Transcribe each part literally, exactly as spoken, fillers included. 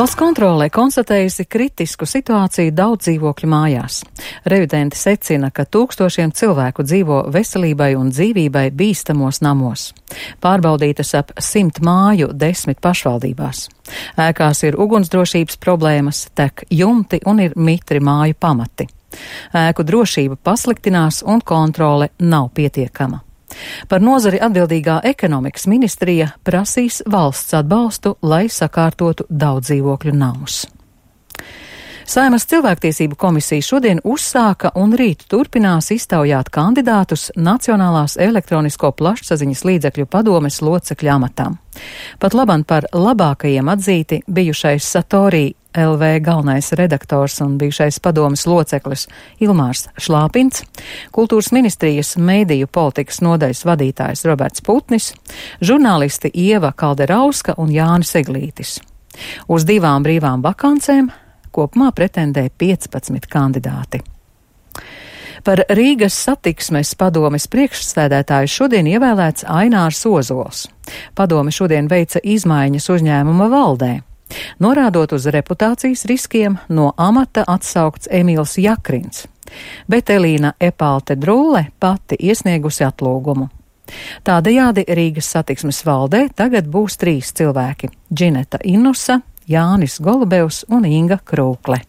Valsts kontrolē konstatējusi kritisku situāciju daudz dzīvokļu mājās. Revidenti secina, ka tūkstošiem cilvēku dzīvo veselībai un dzīvībai bīstamos namos. Pārbaudītas ap simt māju desmit pašvaldībās. Ēkās ir ugunsdrošības problēmas, tek jumti un ir mitri māju pamati. Ēku drošība pasliktinās un kontrole nav pietiekama. Par nozari atbildīgā ekonomikas ministrija prasīs valsts atbalstu, lai sakārtotu daudzdzīvokļu namus. Saeimas cilvēktiesību komisija šodien uzsāka un rīt turpinās iztaujāt kandidātus Nacionālās elektronisko plašsaziņas līdzekļu padomes locekļu amatām. Pat labam par labākajiem atzīti bijušais Satorī L V galvenais redaktors un bijušais padomes loceklis Ilmārs Šlāpins, kultūras ministrijas mediju politikas nodaļas vadītājs Roberts Putnis, žurnālisti Ieva Kalderauska un Jānis Eglītis. Uz divām brīvām vakancēm kopumā pretendē piecpadsmit kandidāti. Par Rīgas satiksmes padomes priekšsēdētāju šodien ievēlēts Ainārs Ozols. Padome šodien veica izmaiņas uzņēmuma valdē. Norādot uz reputācijas riskiem, no amata atsaukts Emīls Jakrins, bet Elīna Epalte Drulle pati iesniegusi atlūgumu. Tādējādi Rīgas satiksmes valdē tagad būs trīs cilvēki – Džineta Inusa, Jānis Golubevs un Inga Krūkle.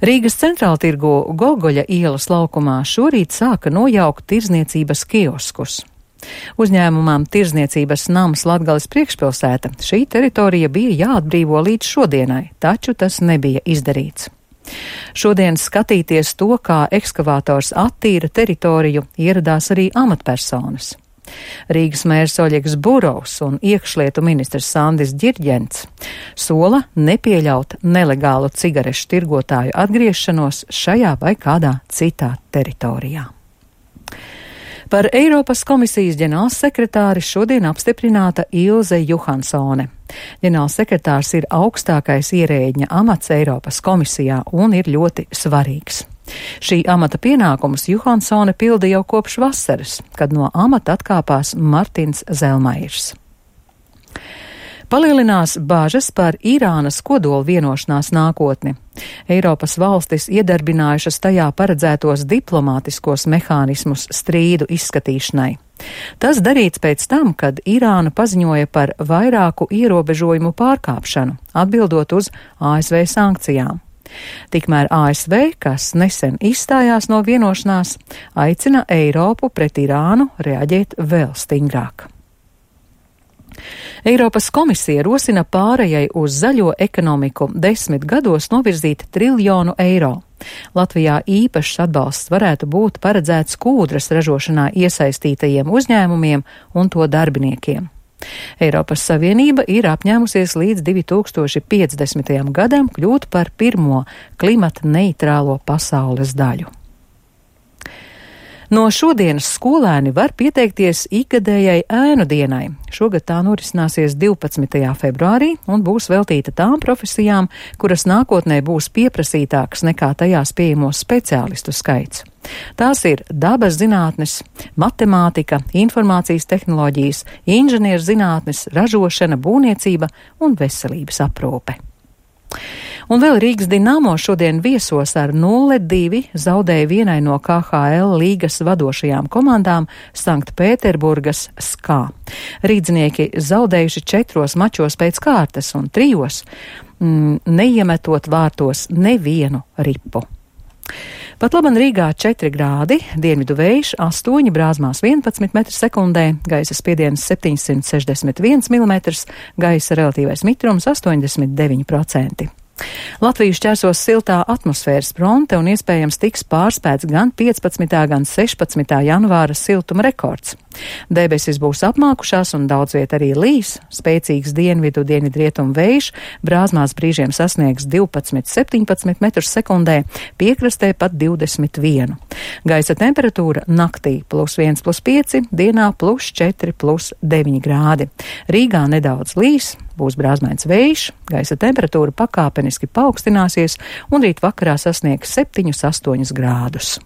Rīgas centrāltirgu Gogoļa ielas laukumā šorīt sāka nojaukt tirzniecības kioskus. Uzņēmumam Tirzniecības nams Latgales priekšpilsēta šī teritorija bija jāatbrīvo līdz šodienai, taču tas nebija izdarīts. Šodien skatīties to, kā ekskavators attīra teritoriju, ieradās arī amatpersonas. Rīgas mērs Oļegs Burovs un iekšlietu ministrs Sandis Ģirģents sola nepieļaut nelegālu cigarešu tirgotāju atgriešanos šajā vai kādā citā teritorijā. Par Eiropas komisijas ģenerālsekretāri šodien apstiprināta Ilze Johansone. Ģenerālsekretārs ir augstākais ierēģņa amats Eiropas komisijā un ir ļoti svarīgs. Šī amata pienākumus Johansone pilda jau kopš vasaras, kad no amata atkāpās Martins Zelmairs. Palielinās bāžas par Irānas kodola vienošanās nākotni. Eiropas valstis iedarbinājušas tajā paredzētos diplomātiskos mehānismus strīdu izskatīšanai. Tas darīts pēc tam, kad Irāna paziņoja par vairāku ierobežojumu pārkāpšanu, atbildot uz A S V sankcijām. Tikmēr A S V, kas nesen izstājās no vienošanās, aicina Eiropu pret Irānu reaģēt vēl stingrāk. Eiropas komisija rosina pārējai uz zaļo ekonomiku desmit gados novirzīt triljonu eiro. Latvijā īpašs atbalsts varētu būt paredzēts kūdras ražošanā iesaistītajiem uzņēmumiem un to darbiniekiem. Eiropas Savienība ir apņēmusies līdz divi tūkstoši piecdesmitajam gadam kļūt par pirmo klimata neitrālo pasaules daļu. No šodienas skolēni var pieteikties ikgadējai ēnu dienai. Šogad tā norisināsies divpadsmitajā februārī un būs veltīta tām profesijām, kuras nākotnē būs pieprasītākas nekā tajās pieejamo speciālistu skaits. Tās ir dabas zinātnes, matemātika, informācijas tehnoloģijas, inženierzinātnes, ražošana, būvniecība un veselības aprūpe. Un vēl Rīgas Dinamo šodien viesos ar nulle divi zaudēja vienai no K H L līgas vadošajām komandām Sanktpēterburgas Skā. Rīdznieki zaudējuši četros mačos pēc kārtas un trijos, mm, neiemetot vārtos nevienu ripu. Pat laban Rīgā četri grādi, dienvidu vējš astoņi, brāzmās vienpadsmit metri sekundē, gaisa spiediens septiņsimt sešdesmit viens milimetrs, gaisa relatīvais mitrums astoņdesmit deviņi procenti. Latviju šķērsos siltā atmosfēras fronte un iespējams tiks pārspēts gan piecpadsmitā, gan sešpadsmitā janvāra siltuma rekords. Debesis būs apmākušās un daudz viet arī līs, spēcīgs dienvidu dienvidrietumu vējš, brāzmās brīžiem sasniegs divpadsmit līdz septiņpadsmit metrus sekundē, piekrastē pat divdesmit vienu. Gaisa temperatūra naktī plus viens plus pieci, dienā plus četri plus deviņi grādi. Rīgā nedaudz līs, būs brāzmains vējš, gaisa temperatūra pakāpeniski paaugstināsies un rīt vakarā sasniegs septiņus astoņus grādus.